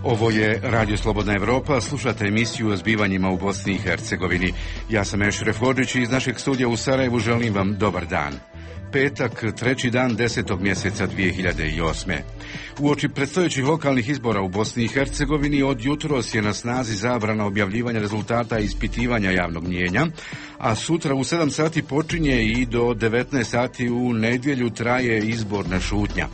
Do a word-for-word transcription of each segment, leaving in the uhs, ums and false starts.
Ovo je Radio Slobodna Evropa, slušate emisiju o zbivanjima u Bosni i Hercegovini. Ja sam Ešref Hodžić i iz našeg studija u Sarajevu želim vam dobar dan. Petak, treći dan desetog mjeseca dvije hiljade osme. Uoči predstojećih lokalnih izbora u Bosni i Hercegovini od jutros je na snazi zabrana objavljivanja rezultata ispitivanja javnog mnijenja, a sutra u sedam sati počinje i do devetnaest sati u nedjelju traje izborna šutnja.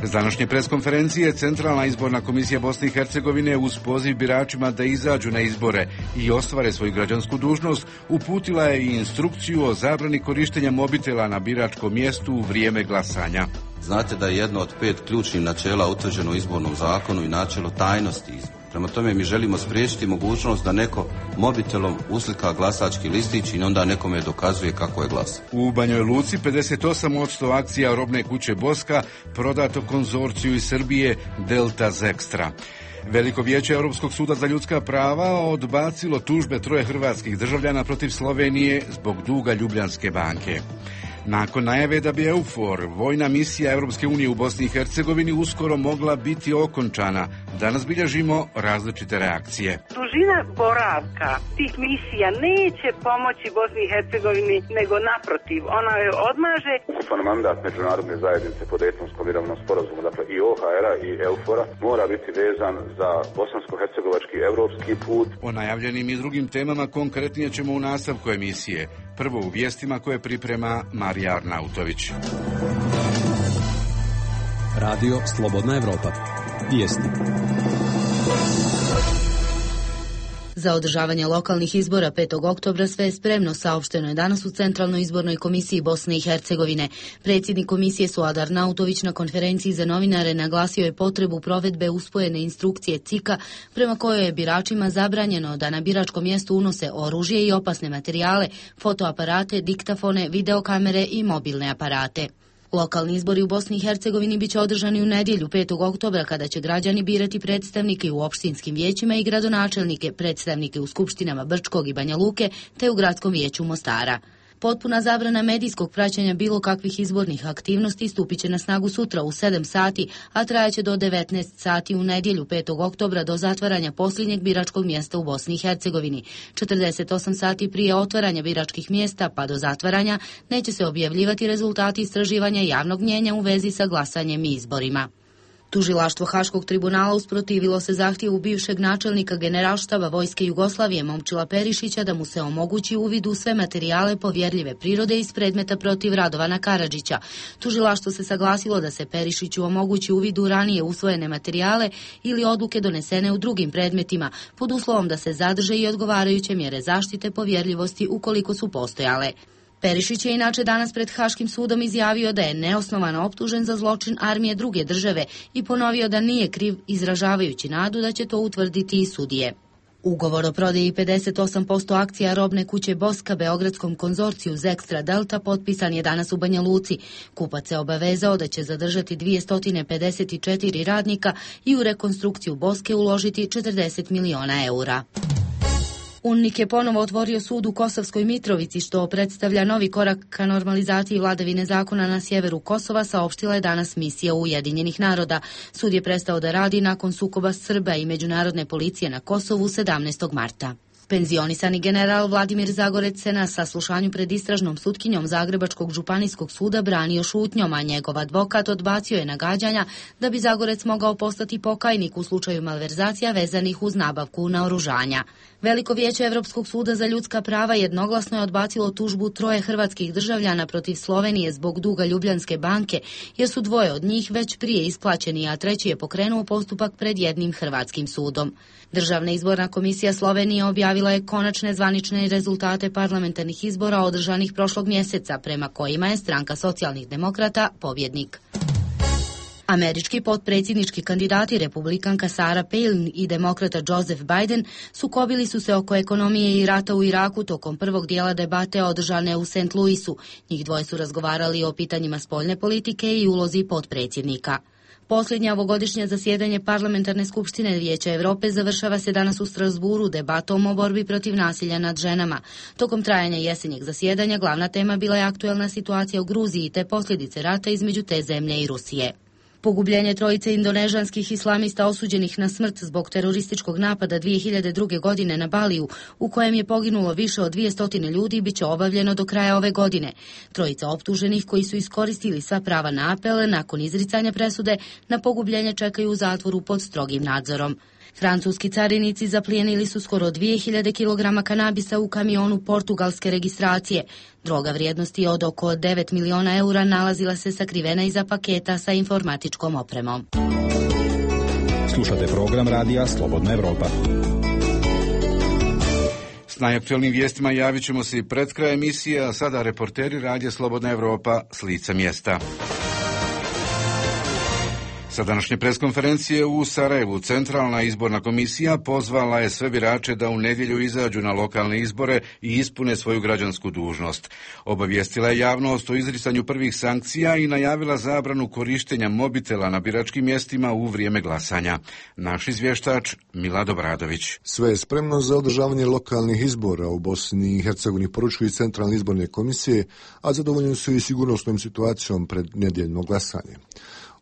S današnje preskonferencije Centralna izborna komisija Bosne i Hercegovine uz poziv biračima da izađu na izbore i ostvare svoju građansku dužnost uputila je i instrukciju o zabrani korištenja mobitela na biračkom mjestu u vrijeme glasanja. Znate da je jedno od pet ključnih načela utvrđeno u izbornom zakonu i načelo tajnosti izbora. Prema tome mi želimo spriječiti mogućnost da neko mobitelom uslika glasački listić i onda nekome dokazuje kako je glas. U Banjoj Luci pedeset osam posto akcija robne kuće Boska prodato konzorciju iz Srbije Delta Zextra. Veliko vijeće Europskog suda za ljudska prava odbacilo tužbe troje hrvatskih državljana protiv Slovenije zbog duga Ljubljanske banke. Nakon najave da bi EUFOR, vojna misija Europske unije u Bosni i Hercegovini, uskoro mogla biti okončana, danas bilježimo različite reakcije. Dužina boravka tih misija neće pomoći Bosni i Hercegovini, nego naprotiv, ona je odmaže. Ukupan mandat međunarodne zajednice po Dejtonskom mirovnom sporazumu, dakle i O H R-a i EUFOR-a, mora biti vezan za bosansko-hercegovački evropski put. O najavljenim i drugim temama konkretnije ćemo u nastavku emisije. Prvo u vijestima koje priprema Marija Arnautović. Radio Slobodna Evropa. Vijesti. Za održavanje lokalnih izbora petog oktobra sve je spremno, saopšteno je danas u Centralnoj izbornoj komisiji Bosne i Hercegovine. Predsjednik komisije Suad Arnautović na konferenciji za novinare naglasio je potrebu provedbe uspojene instrukcije C I K-a prema kojoj je biračima zabranjeno da na biračko mjesto unose oružje i opasne materijale, fotoaparate, diktafone, videokamere i mobilne aparate. Lokalni izbori u Bosni i Hercegovini bit će održani u nedjelju petog oktobra kada će građani birati predstavnike u opštinskim vijećima i gradonačelnike, predstavnike u skupštinama Brčkog i Banja Luke te u gradskom vijeću Mostara. Potpuna zabrana medijskog praćenja bilo kakvih izbornih aktivnosti stupit će na snagu sutra u sedam sati, a trajaće do devetnaest sati u nedjelju petog oktobra do zatvaranja posljednjeg biračkog mjesta u Bosni i Hercegovini. četrdeset osam sati prije otvaranja biračkih mjesta pa do zatvaranja neće se objavljivati rezultati istraživanja javnog mnijenja u vezi sa glasanjem i izborima. Tužilaštvo Haškog tribunala usprotivilo se zahtjevu bivšeg načelnika Generalštaba Vojske Jugoslavije Momčila Perišića da mu se omogući uvid u sve materijale povjerljive prirode iz predmeta protiv Radovana Karadžića. Tužilaštvo se saglasilo da se Perišiću omogući uvid u ranije usvojene materijale ili odluke donesene u drugim predmetima, pod uslovom da se zadrže i odgovarajuće mjere zaštite povjerljivosti ukoliko su postojale. Perišić je inače danas pred Haškim sudom izjavio da je neosnovano optužen za zločin armije druge države i ponovio da nije kriv, izražavajući nadu da će to utvrditi i sudije. Ugovor o prodaji pedeset osam posto akcija robne kuće Boska beogradskom konzorciju Zextra Delta potpisan je danas u Banja Luci. Kupac se obavezao da će zadržati dvjesto pedeset četiri radnika i u rekonstrukciju Boske uložiti četrdeset miliona eura. UNMIK je ponovo otvorio sud u Kosovskoj Mitrovici, što predstavlja novi korak ka normalizaciji vladavine zakona na sjeveru Kosova, saopštila je danas misija Ujedinjenih naroda. Sud je prestao da radi nakon sukoba Srba i međunarodne policije na Kosovu sedamnaestog marta. Penzionisani general Vladimir Zagorec se na saslušanju pred istražnom sutkinjom Zagrebačkog županijskog suda branio šutnjom, a njegov advokat odbacio je nagađanja da bi Zagorec mogao postati pokajnik u slučaju malverzacija vezanih uz nabavku naoružanja. Veliko vijeće Europskog suda za ljudska prava jednoglasno je odbacilo tužbu troje hrvatskih državljana protiv Slovenije zbog duga Ljubljanske banke, jer su dvoje od njih već prije isplaćeni, a treći je pokrenuo postupak pred jednim hrvatskim sudom. Državna izborna komisija Slovenije objavila je konačne zvanične rezultate parlamentarnih izbora održanih prošlog mjeseca, prema kojima je stranka socijalnih demokrata pobjednik. Američki potpredsjednički kandidati, republikanka Sarah Palin i demokrata Joseph Biden, sukobili su se oko ekonomije i rata u Iraku tokom prvog dijela debate održane u Saint Louisu. Njih dvoje su razgovarali o pitanjima spoljne politike i ulozi potpredsjednika. Posljednje ovogodišnje zasjedanje Parlamentarne skupštine Vijeća Europe završava se danas u Strasburu debatom o borbi protiv nasilja nad ženama. Tokom trajanja jesenjeg zasjedanja glavna tema bila je aktuelna situacija u Gruziji te posljedice rata između te zemlje i Rusije. Pogubljenje trojice indonežanskih islamista osuđenih na smrt zbog terorističkog napada dvije hiljade druge. godine na Baliju, u kojem je poginulo više od dvije stotine ljudi, biće obavljeno do kraja ove godine. Trojica optuženih koji su iskoristili sva prava na apele nakon izricanja presude na pogubljenje čekaju u zatvoru pod strogim nadzorom. Francuski carinici zaplijenili su skoro dvije hiljade kilograma kanabisa u kamionu portugalske registracije. Droga vrijednosti od oko devet miliona eura nalazila se sakrivena iza paketa sa informatičkom opremom. Slušate program radija Slobodna Evropa. S najaktuelnim vijestima javit ćemo se i pred kraj emisije, a sada reporteri radija Slobodna Evropa s lica mjesta. Sa današnje preskonferencije u Sarajevu Centralna izborna komisija pozvala je sve birače da u nedjelju izađu na lokalne izbore i ispune svoju građansku dužnost. Obavijestila je javnost o izricanju prvih sankcija i najavila zabranu korištenja mobitela na biračkim mjestima u vrijeme glasanja. Naš izvještač Milado Bradović. Sve je spremno za održavanje lokalnih izbora u Bosni i Hercegovini, poručuju Centralne izborne komisije, a zadovoljni su i sigurnosnom situacijom pred nedjeljno glasanje.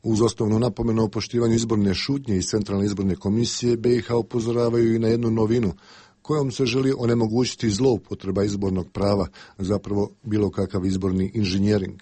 Uz osnovnu napomenu o poštivanju izborne šutnje iz Centralne izborne komisije, B i H upozoravaju i na jednu novinu kojom se želi onemogućiti zloupotreba izbornog prava, zapravo bilo kakav izborni inženjering.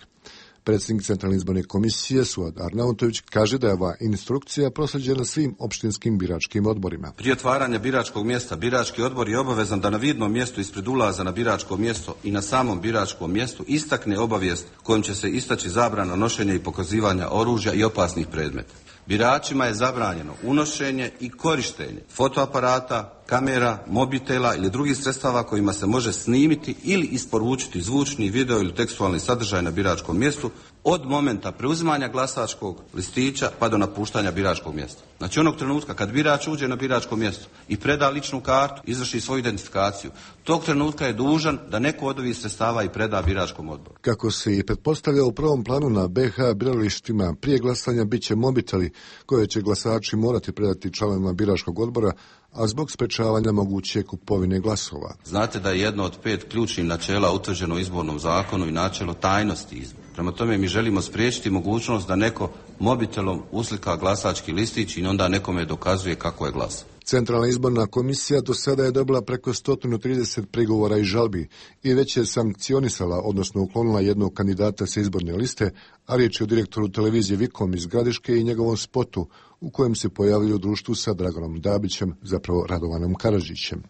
Predsjednik Centralne izborne komisije Suad Arnautović kaže da je ova instrukcija proslijeđena svim opštinskim biračkim odborima. Prije otvaranja biračkog mjesta birački odbor je obavezan da na vidnom mjestu ispred ulaza na biračko mjesto i na samom biračkom mjestu istakne obavijest kojom će se istaći zabrana nošenja i pokazivanja oružja i opasnih predmeta. Biračima je zabranjeno unošenje i korištenje fotoaparata, kamera, mobitela ili drugih sredstava kojima se može snimiti ili isporučiti zvučni, video ili tekstualni sadržaj na biračkom mjestu od momenta preuzimanja glasačkog listića pa do napuštanja biračkog mjesta. Znači onog trenutka kad birač uđe na biračko mjesto i preda ličnu kartu, izvrši svoju identifikaciju, tog trenutka je dužan da neko od ovih sredstava i preda biračkom odboru. Kako se i pretpostavlja, u prvom planu na B H biralištima prije glasanja bit će mobiteli koje će glasači morati predati članovima biračkog odbora, a zbog sprečavanja moguće kupovine glasova. Znate da je jedno od pet ključnih načela utvrđeno u izbornom zakonu i načelo tajnosti izbora. Prema tome mi želimo spriječiti mogućnost da neko mobitelom uslika glasački listić i onda nekome dokazuje kako je glasao. Centralna izborna komisija do sada je dobila preko sto trideset prigovora i žalbi i već je sankcionisala, odnosno uklonila jednog kandidata sa izborne liste, a riječ je o direktoru televizije Vikom iz Gradiške i njegovom spotu u kojem se pojavljaju u društvu sa Dragonom Dabićem, zapravo Radovanom Karadžićem.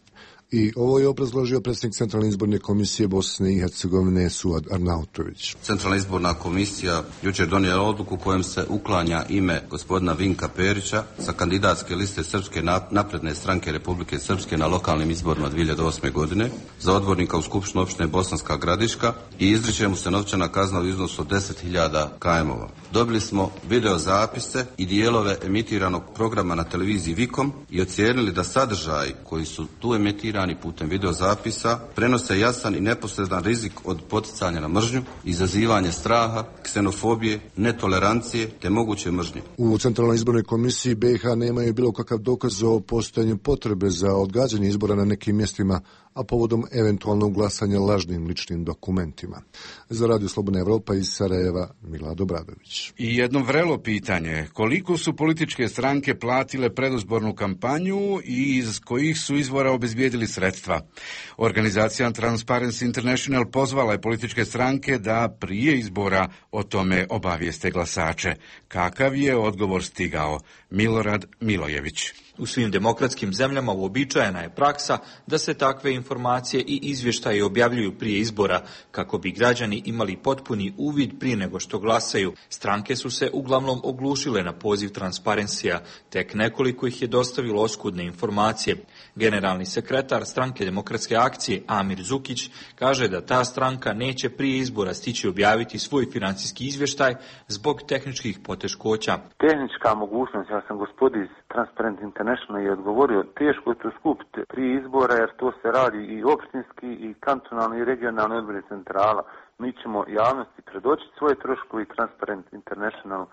I ovo je obrazložio predsjednik Centralne izborne komisije Bosne i Hercegovine Suad Arnautović. Centralna izborna komisija jučer donijela odluku kojom se uklanja ime gospodina Vinka Perića sa kandidatske liste Srpske napredne stranke Republike Srpske na lokalnim izborima dvije hiljade osme. godine za odbornika u Skupštinu opštine Bosanska Gradiška i izriče mu se novčana kazna u iznosu od deset hiljada kajmova. Dobili smo video zapise i dijelove emitiranog programa na televiziji Vikom i ocijenili da sadržaj koji su tu emitirani putem videozapisa prenose jasan i neposredan rizik od poticanja na mržnju, izazivanje straha, ksenofobije, netolerancije te moguće mržnje. U Centralnoj izbornoj komisiji B i H nemaju bilo kakav dokaz o postojanju potrebe za odgađanje izbora na nekim mjestima, a povodom eventualnog glasanja lažnim ličnim dokumentima. Za Radio Slobodna Evropa iz Sarajeva, Milado Bradović. I jedno vrelo pitanje, koliko su političke stranke platile predizbornu kampanju i iz kojih su izvora obezbijedili sredstva? Organizacija Transparency International pozvala je političke stranke da prije izbora o tome obavijeste glasače. Kakav je odgovor stigao? Milorad Milojević. U svim demokratskim zemljama uobičajena je praksa da se takve informacije i izvještaje objavljuju prije izbora kako bi građani imali potpuni uvid prije nego što glasaju. Stranke su se uglavnom oglušile na poziv Transparencija, tek nekoliko ih je dostavilo oskudne informacije. Generalni sekretar stranke Demokratske akcije Amir Zukić kaže da ta stranka neće prije izbora stići objaviti svoj financijski izvještaj zbog tehničkih poteškoća. Tehnička mogućnost, ja sam gospodin iz Transparent International je odgovorio, teško je to skupiti prije izbora jer to se radi i opštinski i kantonalni i regionalni odbori centrala. Mi ćemo javnosti predočiti svoje troškove i Transparent International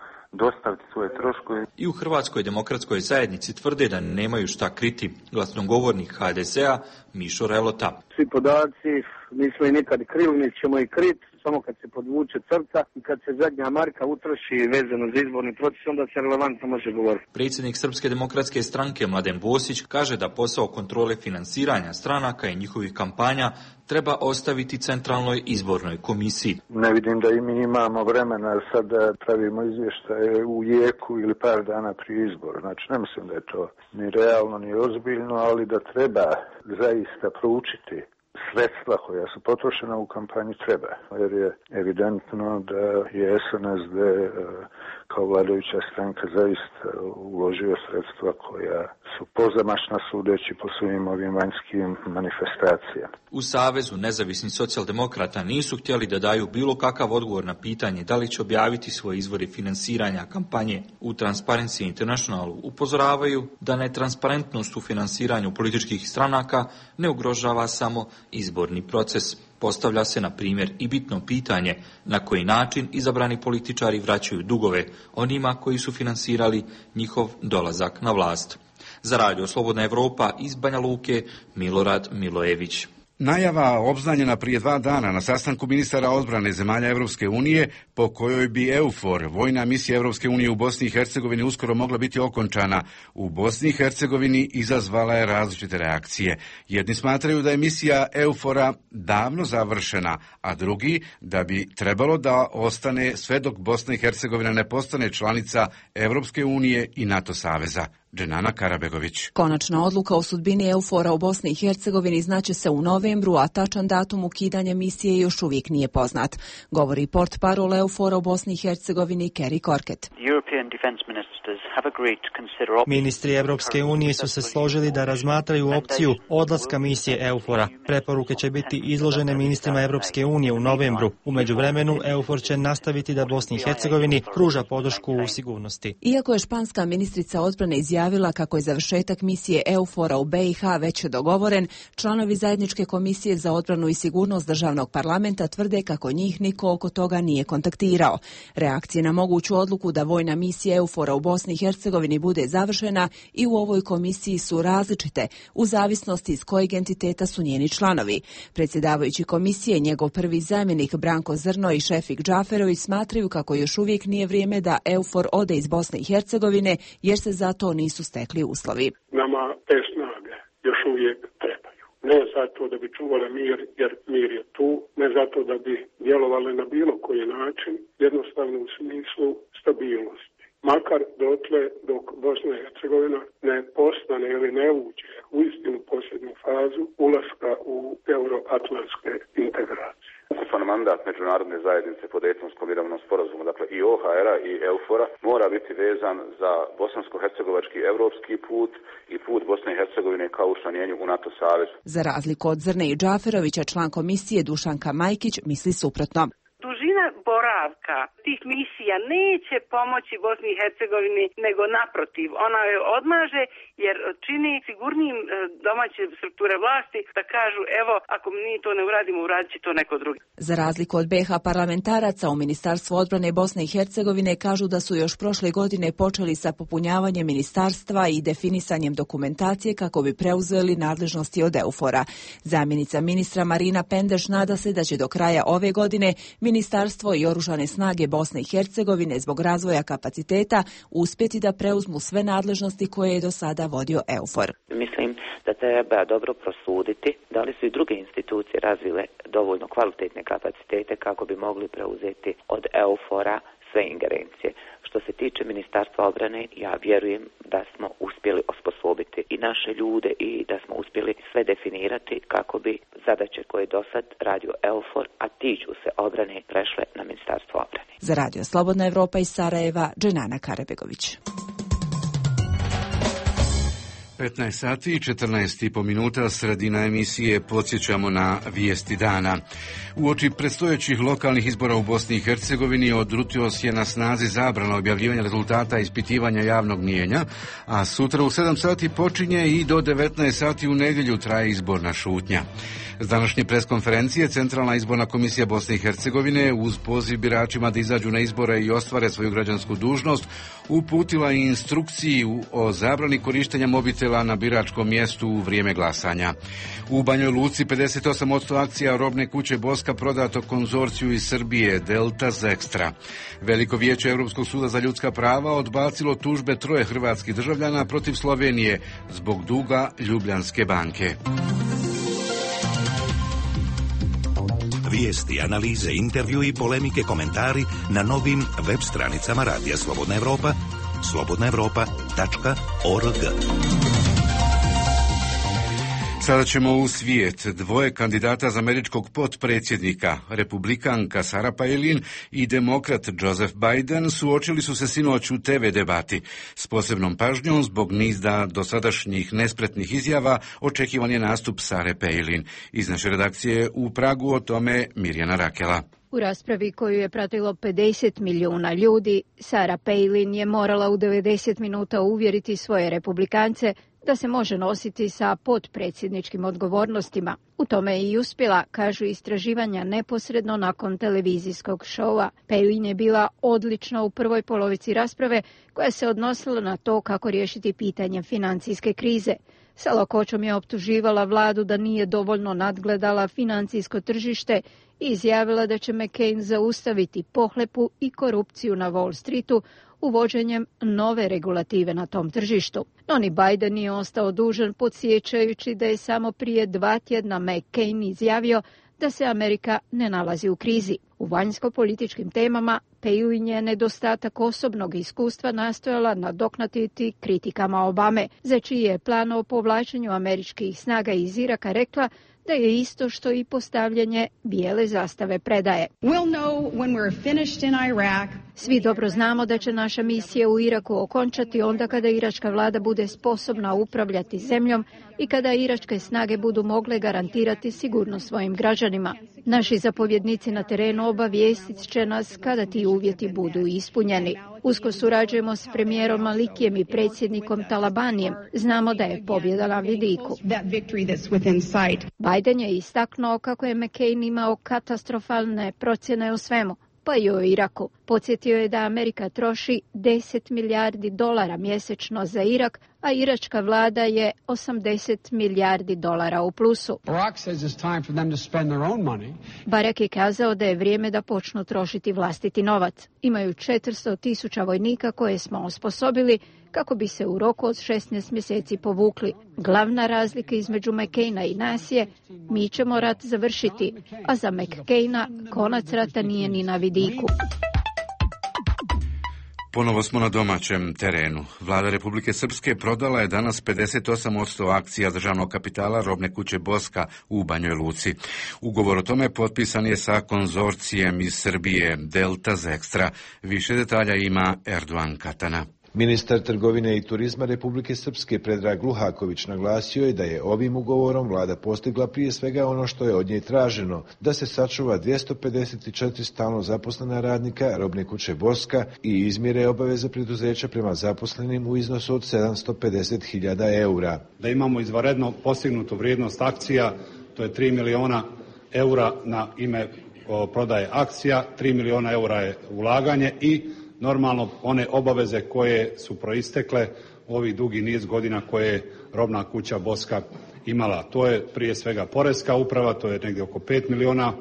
dostaviti svoje troškove. I u Hrvatskoj demokratskoj zajednici tvrde da nemaju šta kriti. Glasnogovornik H D Z-a Mišo Relota. Svi podaci, nismo i nikad krili, mi ćemo i kriti. samo kad se podvuče crta i kad se zadnja marka utroši vezano za izborni proces, onda se relevantno može govoriti. Predsjednik Srpske demokratske stranke Mladen Bosić kaže da posao kontrole finansiranja stranaka i njihovih kampanja treba ostaviti Centralnoj izbornoj komisiji. Ne vidim da i mi imamo vremena sad da pravimo izvještaje u jeku ili par dana prije izbora. Znači ne mislim da je to ni realno ni ozbiljno, ali da treba zaista proučiti sredstva koja su potrošena u kampanji treba, jer je evidentno da je S N S D kao vladajuća stranka zaista uložio sredstva koja su pozamašna sudeći po svim ovim vanjskim manifestacijama. U Savezu nezavisnih socijaldemokrata nisu htjeli da daju bilo kakav odgovor na pitanje da li će objaviti svoje izvore finansiranja kampanje. U Transparency Internationalu upozoravaju da netransparentnost u finansiranju političkih stranaka ne ugrožava samo izborni proces. Postavlja se, na primjer, i bitno pitanje na koji način izabrani političari vraćaju dugove onima koji su finansirali njihov dolazak na vlast. Za Radio Slobodna Evropa iz Banja Luke, Milorad Milojević. Najava obznanjena prije dva dana na sastanku ministara odbrane zemalja Europske unije, po kojoj bi EUFOR, vojna misija Europske unije u Bosni i Hercegovini, uskoro mogla biti okončana u Bosni i Hercegovini, izazvala je različite reakcije. Jedni smatraju da je misija EUFOR-a davno završena, a drugi da bi trebalo da ostane sve dok Bosna i Hercegovina ne postane članica Europske unije i NATO saveza. Dženana Karabegović. Konačna odluka o sudbini EUFOR-a u Bosni i Hercegovini znaće se u novembru, a tačan datum ukidanja misije još uvijek nije poznat, govori portparol EUFOR-a u Bosni i Hercegovini Kerry Corkett. Ministri Evropske unije su se složili da razmatraju opciju odlaska misije EUFOR-a. Preporuke će biti izložene ministrima Evropske unije u novembru. U međuvremenu EUFOR će nastaviti da Bosni i Hercegovini pruža podršku u sigurnosti. Iako je španska ministrica odbrane izjavila kako je završetak misije EUFOR-a u B i H već dogovoren, članovi zajedničke komisije za odbranu i sigurnost državnog parlamenta tvrde kako njih niko oko toga nije kontaktirao. Reakcije na moguću odluku da vojna misija EUFOR-a u Bosni i Hercegovini bude završena i u ovoj komisiji su različite, u zavisnosti iz kojeg entiteta su njeni članovi. Predsjedavajući komisije, njegov prvi zamjenik Branko Zrno i Šefik Džaferović smatraju kako još uvijek nije vrijeme da EUFOR ode iz Bosne i Hercegovine, jer se zato nisu stekli uslovi. Nama te snage još uvijek trebaju. Ne zato da bi čuvali mir, jer mir je tu, ne zato da bi djelovali na bilo koji način, jednostavno u smislu stabilnosti. Makar dotle dok Bosna i Hercegovina ne postane ili ne uđe u istinu posljednju fazu ulaska u euroatlantske integracije. Ukupan mandat međunarodne zajednice po Dejtonskom mirovnom sporazumu, dakle i O H R-a i EUFOR-a, mora biti vezan za bosansko-hercegovački evropski put i put Bosne i Hercegovine kao učlanjenju u NATO savez. Za razliku od Zrne i Džaferovića, član komisije Dušanka Majkić misli suprotno. Dužina boravka tih misija neće pomoći Bosni i Hercegovini, nego naprotiv, ona je odmaže jer čini sigurnijim domaće strukture vlasti da kažu evo, ako mi to ne uradimo, uradit će to neko drugi. Za razliku od B i H parlamentaraca, u Ministarstvu odbrane Bosne i Hercegovine kažu da su još prošle godine počeli sa popunjavanjem ministarstva i definisanjem dokumentacije kako bi preuzeli nadležnosti od EUFOR-a. Zamjenica ministra Marina Pendeš nada se da će do kraja ove godine Ministarstvo i Oružane snage Bosne i Hercegovine zbog razvoja kapaciteta uspjeti da preuzmu sve nadležnosti koje je do sada vodio EUFOR. Mislim da treba dobro prosuditi da li su i druge institucije razvile dovoljno kvalitetne kapacitete kako bi mogli preuzeti od EUFOR-a sve ingerencije. Što se tiče Ministarstva obrane, ja vjerujem da smo uspjeli osposobiti i naše ljude i da smo uspjeli sve definirati kako bi zadaće koje do sad radio EUFOR, a tiču se obrane, prešle na Ministarstvo obrane. Za Radio Slobodna Evropa iz Sarajeva, Dženana Karabegović. petnaest sati i četrnaest i po minuta, sredina emisije, podsjećamo na vijesti dana. Uoči predstojećih lokalnih izbora u Bosni i Hercegovini od jutros je na snazi zabrana objavljivanja rezultata ispitivanja javnog mnijenja, a sutra u sedam sati počinje i do devetnaest sati u nedjelju traje izborna šutnja. S današnje preskonferencije Centralna izborna komisija Bosne i Hercegovine uz poziv biračima da izađu na izbore i ostvare svoju građansku dužnost uputila i instrukciju o zabrani korištenja mobitela mobitela na biračkom mjestu u vrijeme glasanja. U Banjoj Luci pedeset osam posto akcija robne kuće Boska prodato konzorciju iz Srbije Delta Zextra. Veliko vijeće Europskog suda za ljudska prava odbacilo tužbe troje hrvatskih državljana protiv Slovenije zbog duga Ljubljanske banke. Vijesti, analize, intervju i polemike, komentari na novim web stranicama Radija Slobodna Evropa, slobodna evropa tačka org. Sada ćemo u svijet. Dvoje kandidata za američkog potpredsjednika, republikanka Sarah Palin i demokrat Joseph Biden, suočili su se sinoć u te ve debati. S posebnom pažnjom zbog niza dosadašnjih nespretnih izjava očekivan je nastup Sarah Palin. Iz naše redakcije u Pragu o tome Mirjana Rakela. U raspravi koju je pratilo pedeset milijuna ljudi, Sarah Palin je morala u devedeset minuta uvjeriti svoje republikance da se može nositi sa potpredsjedničkim odgovornostima. U tome je i uspjela, kažu istraživanja neposredno nakon televizijskog šova. Palin je bila odlična u prvoj polovici rasprave koja se odnosila na to kako riješiti pitanje financijske krize. Sa lakoćom je optuživala vladu da nije dovoljno nadgledala financijsko tržište i izjavila da će McCain zaustaviti pohlepu i korupciju na Wall Streetu uvođenjem nove regulative na tom tržištu. No ni Biden nije ostao dužan, podsjećajući da je samo prije dva tjedna McCain izjavio da se Amerika ne nalazi u krizi. U vanjsko-političkim temama Palin je nedostatak osobnog iskustva nastojala nadoknaditi kritikama Obame, za čiji je plan o povlačenju američkih snaga iz Iraka rekla da je isto što i postavljanje bijele zastave predaje. We'll know when we're finished in Iraq. Svi dobro znamo da će naša misija u Iraku okončati onda kada iračka vlada bude sposobna upravljati zemljom i kada iračke snage budu mogle garantirati sigurnost svojim građanima. Naši zapovjednici na terenu obavijestit će nas kada ti uvjeti budu ispunjeni. Usko surađujemo s premijerom Malikijem i predsjednikom Talabanijem. Znamo da je pobjeda na vidiku. Biden je istaknuo kako je McCain imao katastrofalne procjene o svemu, pa i o Iraku. Podsjetio je da Amerika troši deset milijardi dolara mjesečno za Irak, a iračka vlada je osamdeset milijardi dolara u plusu. Barack je kazao da je vrijeme da počnu trošiti vlastiti novac. Imaju četiristo tisuća vojnika koje smo osposobili kako bi se u roku od šesnaest mjeseci povukli. Glavna razlika između McCaina i nas je, mi ćemo rat završiti, a za McCaina konac rata nije ni na vidiku. Ponovo smo na domaćem terenu. Vlada Republike Srpske prodala je danas pedeset osam posto akcija državnog kapitala robne kuće Boska u Banjoj Luci. Ugovor o tome potpisan je sa konzorcijem iz Srbije Delta Zextra. Više detalja ima Erdogan Katana. Ministar trgovine i turizma Republike Srpske Predrag Luhaković naglasio je da je ovim ugovorom vlada postigla prije svega ono što je od nje traženo, da se sačuva dvjesto pedeset četiri stalno zaposlena radnika robne kuće Boska i izmjere obaveze preduzeća prema zaposlenim u iznosu od sedamsto pedeset hiljada eura. Da imamo izvanredno postignutu vrijednost akcija, to je tri miliona eura na ime prodaje akcija, tri miliona eura je ulaganje i normalno one obaveze koje su proistekle ovih dugi niz godina koje je robna kuća Boska imala. To je prije svega poreska uprava, to je negdje oko pet miliona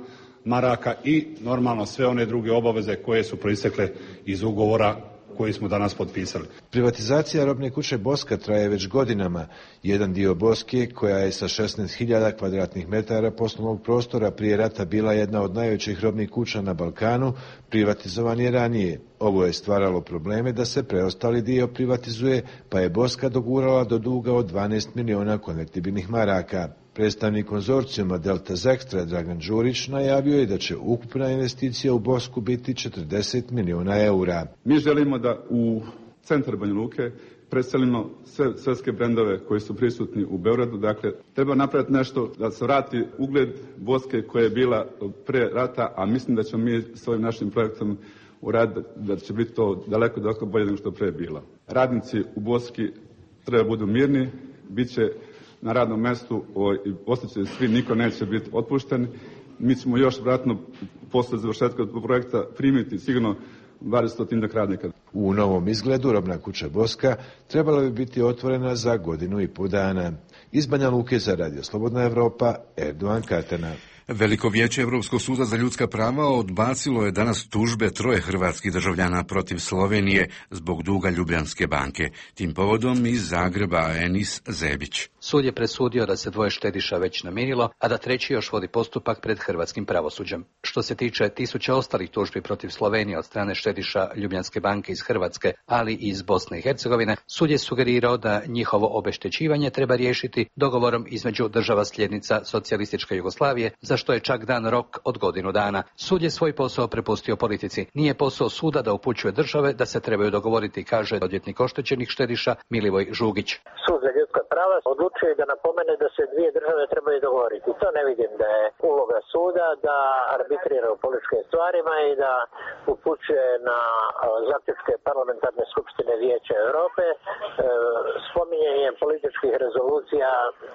maraka i normalno sve one druge obaveze koje su proistekle iz ugovora koji smo danas potpisali. Privatizacija robne kuće Boska traje već godinama. Jedan dio Boske, koja je sa šesnaest hiljada kvadratnih metara poslovnog prostora prije rata bila jedna od najvećih robnih kuća na Balkanu, privatizovan je ranije. Ovo je stvaralo probleme da se preostali dio privatizuje, pa je Boska dogurala do duga od dvanaest miliona konvertibilnih maraka. Predstavnik konzorcijuma Delta Zextra Dragan Đurić najavio je da će ukupna investicija u Bosku biti četrdeset miliona eura. Mi želimo da u centar Banja Luke predstavimo sve svjetske brendove koji su prisutni u Beogradu. Dakle, treba napraviti nešto da se vrati ugled Boske koja je bila pre rata, a mislim da ćemo mi s ovim našim projektom uraditi da će biti to daleko, daleko bolje nego što pre bila. Radnici u Boski treba budu mirni, bit će na radnom mjestu i osjećaju svi, niko neće biti otpušten. Mi ćemo još vratno posle završetka projekta primiti sigurno dvadestotinjak radnika. U novom izgledu robna kuća Boska trebala bi biti otvorena za godinu i pol dana. Iz Banja Luke za Radio Slobodna Evropa, Erdogan Katana. Veliko vijeće Europskog suda za ljudska prava odbacilo je danas tužbe troje hrvatskih državljana protiv Slovenije zbog duga Ljubljanske banke. Tim povodom iz Zagreba Enis Zebić. Sud je presudio da se dvoje štediša već namirilo, a da treći još vodi postupak pred hrvatskim pravosuđem. Što se tiče tisuća ostalih tužbi protiv Slovenije od strane štediša Ljubljanske banke iz Hrvatske, ali i iz Bosne i Hercegovine, sud je sugerirao da njihovo obeštećivanje treba riješiti dogovorom između država sljednica socijalističke Jugoslavije, za što je čak dan rok od godinu dana. Sud je svoj posao prepustio politici. Nije posao suda da upućuje države da se trebaju dogovoriti, kaže odvjetnik oštećenih štediša Milivoj Žugić. Sud za ljudska prava odlučuje da napomene da se dvije države trebaju dogovoriti. To ne vidim da je uloga suda da arbitrira u političkim stvarima i da upućuje na zaključke parlamentarne skupštine Vijeća Europe. E, spominjanje političkih rezolucija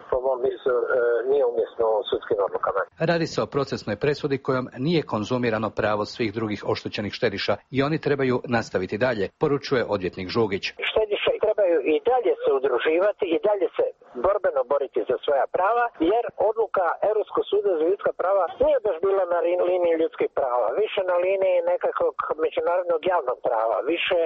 po mom mislu e, nije umjesno u sudskim odlukama. Radi se o procesnoj presudi kojom nije konzumirano pravo svih drugih oštećenih štediša i oni trebaju nastaviti dalje, poručuje odvjetnik Žugić. Štediše trebaju i dalje se udruživati i dalje se borbeno boriti za svoja prava, jer odluka Europskog suda za ljudska prava nije baš bila na liniji ljudskih prava, više na liniji nekakvog međunarodnog javnog prava, više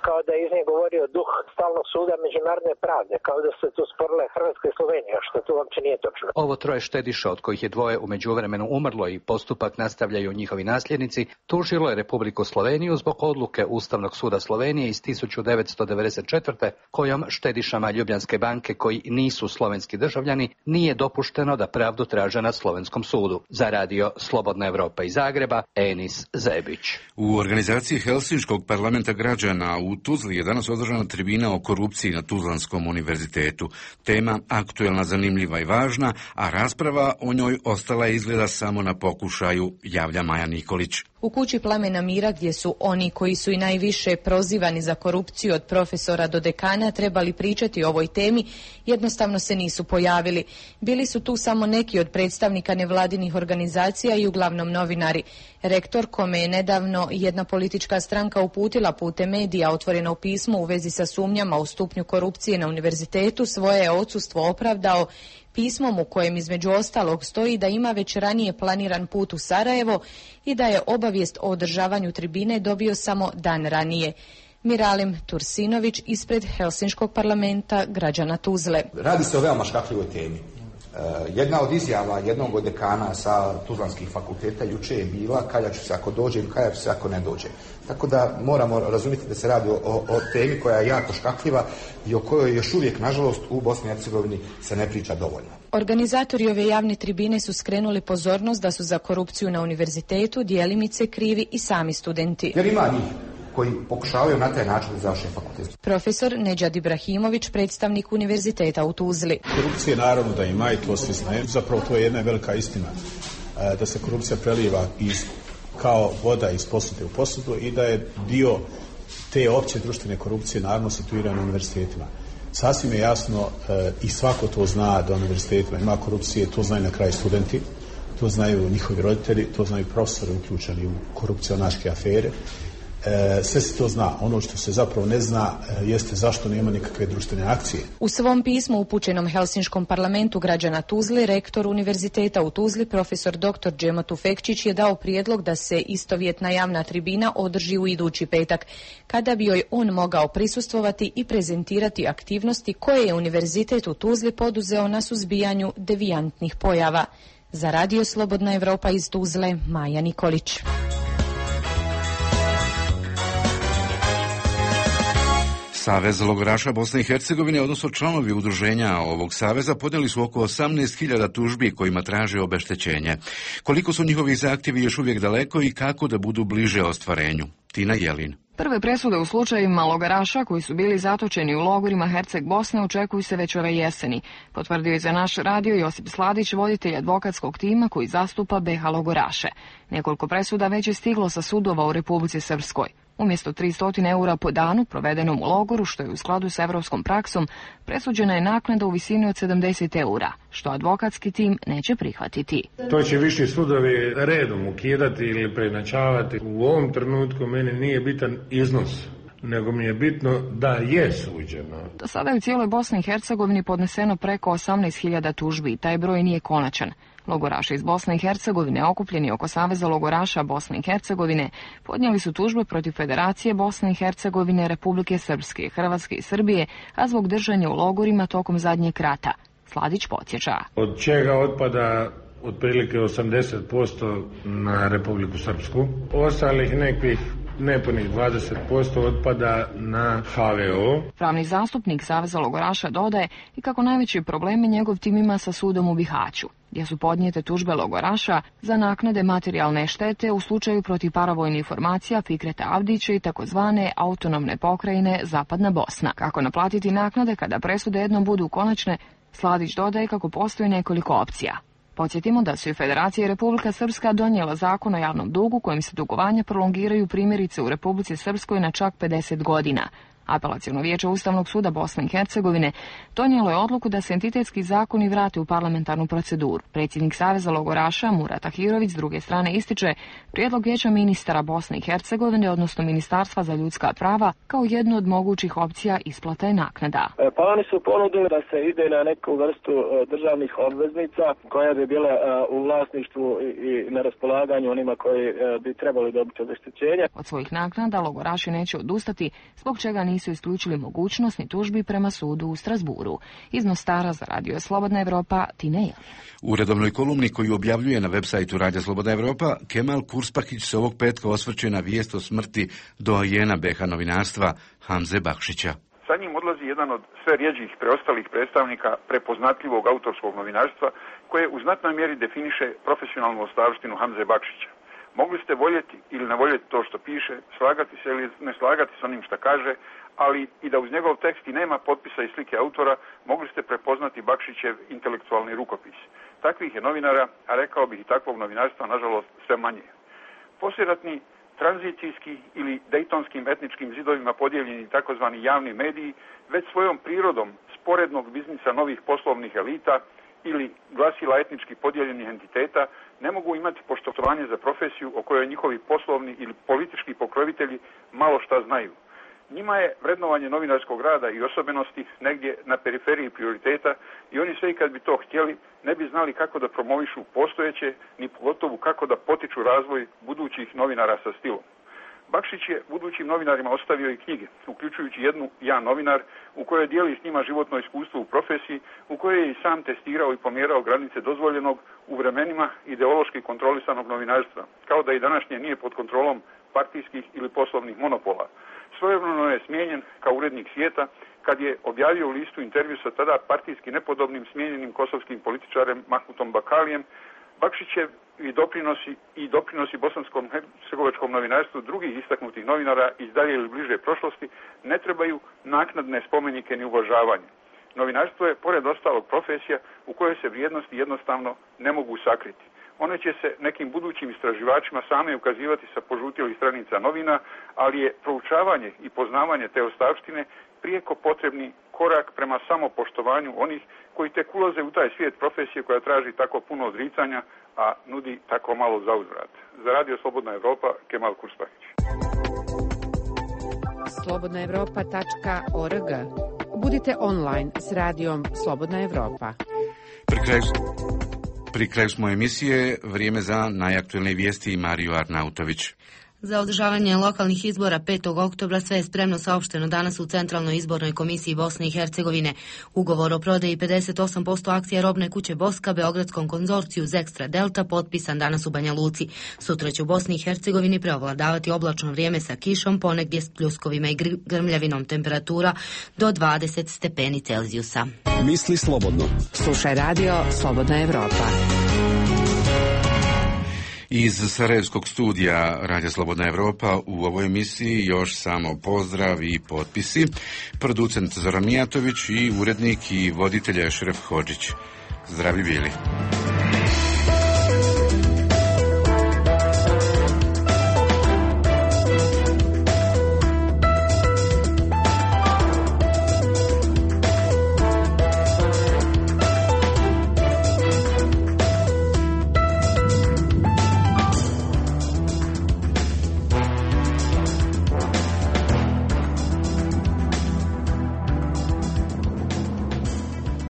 kao da je iz nje govorio duh stalnog suda međunarodne pravde, kao da se tu sporile Hrvatska i Slovenija, što tu uopće nije točno. Ovo troje štediša, od kojih je dvoje u međuvremenu umrlo i postupak nastavljaju njihovi nasljednici, tužilo je Republiku Sloveniju zbog odluke Ustavnog suda Slovenije iz tisuću devetsto devedeset četvrte kojom štedišama Ljubljanske banke koji nisu slovenski državljani nije dopušteno da pravdu traže na slovenskom sudu. Za Radio Slobodna Evropa iz Zagreba, Enis Zebić. U organizaciji Helsinškog parlamenta građana u Tuzli je danas održana tribina o korupciji na Tuzlanskom univerzitetu. Tema aktuelna, zanimljiva i važna, a rasprava o njoj ostala je izgleda samo na pokušaju, javlja Maja Nikolić. U kući Plamena mira, gdje su oni koji su i najviše prozivani za korupciju od profesora do dekana trebali pričati o ovoj temi, jednostavno se nisu pojavili. Bili su tu samo neki od predstavnika nevladinih organizacija i uglavnom novinari. Rektor, kome je nedavno jedna politička stranka uputila putem medija otvoreno pismo u vezi sa sumnjama u stupnju korupcije na univerzitetu, svoje je odsustvo opravdao pismom u kojem između ostalog stoji da ima već ranije planiran put u Sarajevo i da je obavijest o održavanju tribine dobio samo dan ranije. Miralim Tursinović ispred Helsinškog parlamenta građana Tuzle. Radi se o veoma škakljivoj temi. Jedna od izjava jednog od dekana sa Tuzlanskih fakulteta juče je bila kalja ću se ako dođe i kalja ću se ako ne dođe. Tako da moramo razumjeti da se radi o, o temi koja je jako škakljiva i o kojoj još uvijek, nažalost, u Bosni i Hercegovini se ne priča dovoljno. Organizatori ove javne tribine su skrenuli pozornost da su za korupciju na univerzitetu djelimice krivi i sami studenti. Jer ima njih koji pokušavaju na taj način da završe fakultet. Profesor Nedžad Ibrahimović, predstavnik univerziteta u Tuzli. Korupcije naravno da ima i to svi znaju. Zapravo to je jedna velika istina da se korupcija preliva iz, kao voda iz posude u posudu i da je dio te opće društvene korupcije naravno situirana na univerzitetima. Sasvim je jasno i svako to zna da univerzitetima ima korupcije, to znaju na kraju studenti, to znaju njihovi roditelji, to znaju profesori uključeni u korupcionaške afere. Sve se to zna. Ono što se zapravo ne zna jeste zašto nema nikakve društvene akcije. U svom pismu upućenom Helsinškom parlamentu građana Tuzle, rektor univerziteta u Tuzli, profesor doktor Džemo Tufekčić je dao prijedlog da se istovjetna javna tribina održi u idući petak, kada bi joj on mogao prisustvovati i prezentirati aktivnosti koje je univerzitet u Tuzli poduzeo na suzbijanju devijantnih pojava. Za Radio Slobodna Evropa iz Tuzle, Maja Nikolić. Savez logoraša Bosne i Hercegovine, odnosno članovi udruženja ovog saveza, podnijeli su oko osamnaest hiljada tužbi kojima traže obeštećenje. Koliko su njihovi zahtjevi još uvijek daleko i kako da budu bliže ostvarenju? Tina Jelin. Prve presude u slučajevima logaraša koji su bili zatočeni u logorima Herceg Bosne očekuju se već ove jeseni, potvrdio je za naš radio Josip Sladić, voditelj advokatskog tima koji zastupa be ha logoraše. Nekoliko presuda već je stiglo sa sudova u Republici Srpskoj. Umjesto tristo eura po danu provedenom u logoru, što je u skladu s evropskom praksom, presuđena je naknada u visini od sedamdeset eura, što advokatski tim neće prihvatiti. To će viši sudovi redom ukidati ili preinačavati. U ovom trenutku meni nije bitan iznos, nego mi je bitno da je suđeno. Do sada je u cijeloj Bosni i Hercegovini podneseno preko osamnaest hiljada tužbi i taj broj nije konačan. Logoraši iz Bosne i Hercegovine, okupljeni oko Saveza logoraša Bosne i Hercegovine, podnijeli su tužbe protiv Federacije Bosne i Hercegovine, Republike Srpske, Hrvatske i Srbije, a zbog držanja u logorima tokom zadnjeg rata. Sladić podsjeća. Od čega otpada otprilike osamdeset posto na Republiku Srpsku. Ostalih nekih nepunih dvadeset posto otpada na H V O. Pravni zastupnik Saveza logoraša dodaje i kako najveći problemi njegov tim ima sa sudom u Bihaću, gdje su podnijete tužbe logoraša za naknade materijalne štete u slučaju protiv paravojnih formacija Fikreta Avdića i takozvane autonomne pokrajine Zapadna Bosna. Kako naplatiti naknade kada presude jednom budu konačne, Sladić dodaje kako postoji nekoliko opcija. Podsjetimo da su i Federacija i Republika Srpska donijela zakon o javnom dugu kojim se dugovanja prolongiraju primjerice u Republici Srpskoj na čak pedeset godina. Apelaciono vijeće Ustavnog suda Bosne i Hercegovine donijelo je odluku da se entitetski zakoni vrate u parlamentarnu proceduru. Predsjednik Saveza logoraša Murat Ahirović s druge strane ističe prijedlog vijeća ministara Bosne i Hercegovine, odnosno Ministarstva za ljudska prava, kao jednu od mogućih opcija isplata i naknada. Pa oni su ponudili da se ide na neku vrstu državnih obveznica koja bi bila u vlasništvu i na raspolaganju onima koji bi trebali dobiti obeštećenje. Od svojih naknada logoraši neće odustati, zbog čega nisu isključili mogućnost ni tužbi prema sudu u Strasburu. Iz Mostara za Radio Slobodna Evropa, Tineja. U redovnoj kolumni koju objavljuje na websajtu Radio Slobodna Evropa, Kemal Kurspahić se ovog petka osvrće na vijest o smrti doajena be ha novinarstva Hamze Bakšića. Sa njim odlazi jedan od sve rjeđih preostalih predstavnika prepoznatljivog autorskog novinarstva koje u znatnoj mjeri definiše profesionalnu ostavštinu Hamze Bakšića. Mogli ste voljeti ili ne voljeti to što piše, slagati se ili ne slagati s onim što kaže, ali i da uz njegov tekst i nema potpisa i slike autora, mogli ste prepoznati Bakšićev intelektualni rukopis. Takvih je novinara, a rekao bih i takvog novinarstva, nažalost, sve manje. Poslijeratni tranzicijski ili dejtonskim etničkim zidovima podijeljeni takozvani javni mediji već svojom prirodom sporednog biznisa novih poslovnih elita ili glasila etnički podijeljenih entiteta ne mogu imati poštovanje za profesiju o kojoj njihovi poslovni ili politički pokrovitelji malo šta znaju. Njima je vrednovanje novinarskog rada i osobenosti negdje na periferiji prioriteta i oni sve i kad bi to htjeli ne bi znali kako da promovišu postojeće, ni pogotovo kako da potiču razvoj budućih novinara sa stilom. Bakšić je budućim novinarima ostavio i knjige, uključujući jednu Ja novinar, u kojoj dijeli s njima životno iskustvo u profesiji, u kojoj je i sam testirao i pomjerao granice dozvoljenog u vremenima ideološki kontrolisanog novinarstva, kao da i današnje nije pod kontrolom partijskih ili poslovnih monopola. Svojevremeno je smijenjen kao urednik Svijeta kad je objavio u listu intervju sa tada partijski nepodobnim smijenjenim kosovskim političarem Mahmutom Bakalijem. Bakšićev i doprinosi i doprinosi bosanskom hercegovačkom novinarstvu drugih istaknutih novinara iz dalje ili bliže prošlosti ne trebaju naknadne spomenike ni uvažavanje. Novinarstvo je, pored ostalog, profesija u kojoj se vrijednosti jednostavno ne mogu sakriti. One će se nekim budućim istraživačima same ukazivati sa požutilih stranica novina, ali je proučavanje i poznavanje te ostavštine prijeko potrebni korak prema samopoštovanju onih koji tek ulaze u taj svijet profesije koja traži tako puno odricanja, a nudi tako malo zauzvrat. Za Radio Slobodna Evropa, Kemal Kurspahić. slobodna evropa tačka org. Budite online s radijom Slobodna Evropa. Pri kraju, pri kraju smo emisije, vrijeme za najaktualne vijesti i Mariju Arnautović. Za održavanje lokalnih izbora petog oktobra sve je spremno, saopšteno danas u Centralnoj izbornoj komisiji Bosne i Hercegovine. Ugovor o prodaji pedeset osam posto akcija robne kuće Boska Beogradskom konzorciju Zekstra Delta potpisan danas u Banja Luci. Sutra će u Bosni i Hercegovini preovladavati oblačno vrijeme sa kišom, ponegdje s pljuskovima i grmljavinom, temperatura do dvadeset stepeni Celzijusa. Misli slobodno. Slušaj radio Slobodna Evropa. Iz Sarajevskog studija Radija Slobodna Evropa u ovoj emisiji još samo pozdrav i potpisi. Producent Zoran Mijatović i urednik i voditelj Ešref Hodžić. Zdravi bili.